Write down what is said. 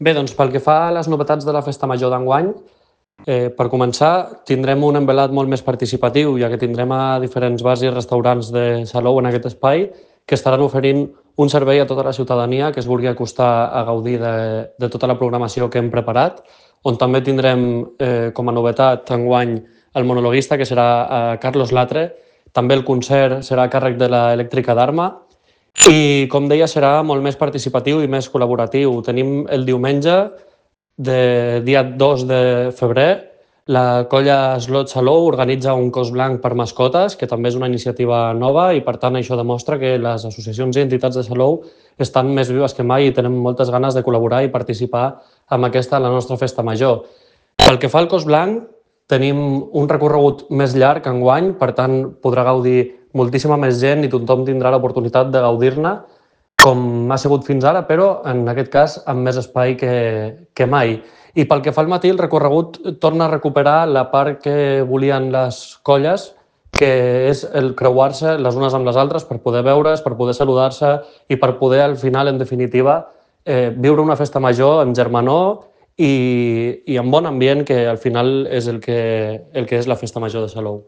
Bé, doncs pel que fa a les novetats de la Festa Major d'enguany, per començar, tindrem un envelat molt més participatiu, ja que tindrem a diferents bars i restaurants de Salou en aquest espai que estaran oferint un servei a tota la ciutadania que es vulgui acostar a gaudir de tota la programació que hem preparat, on també tindrem com a novetat enguany el monologuista, que serà Carlos Latre. També el concert serà a càrrec de l'Elèctrica d'Arma i, com deia, serà molt més participatiu i més col·laboratiu. Tenim el diumenge, dia 2 de febrer, la colla Slot Salou organitza un cos blanc per mascotes, que també és una iniciativa nova i, per tant, això demostra que les associacions i entitats de Salou estan més vives que mai i tenen moltes ganes de col·laborar i participar amb aquesta, la nostra festa major. Pel que fa al cos blanc, tenim un recorregut més llarg enguany, per tant, podrà gaudir moltíssima més gent i tothom tindrà l'oportunitat de gaudir-ne com ha sigut fins ara, però en aquest cas amb més espai que mai. I pel que fa al matí, el recorregut torna a recuperar la part que volien les colles, que és el creuar-se les unes amb les altres per poder veure's, per poder saludar-se i per poder, al final, en definitiva, viure una festa major amb germanor i amb bon ambient, que al final és el que és la festa major de Salou.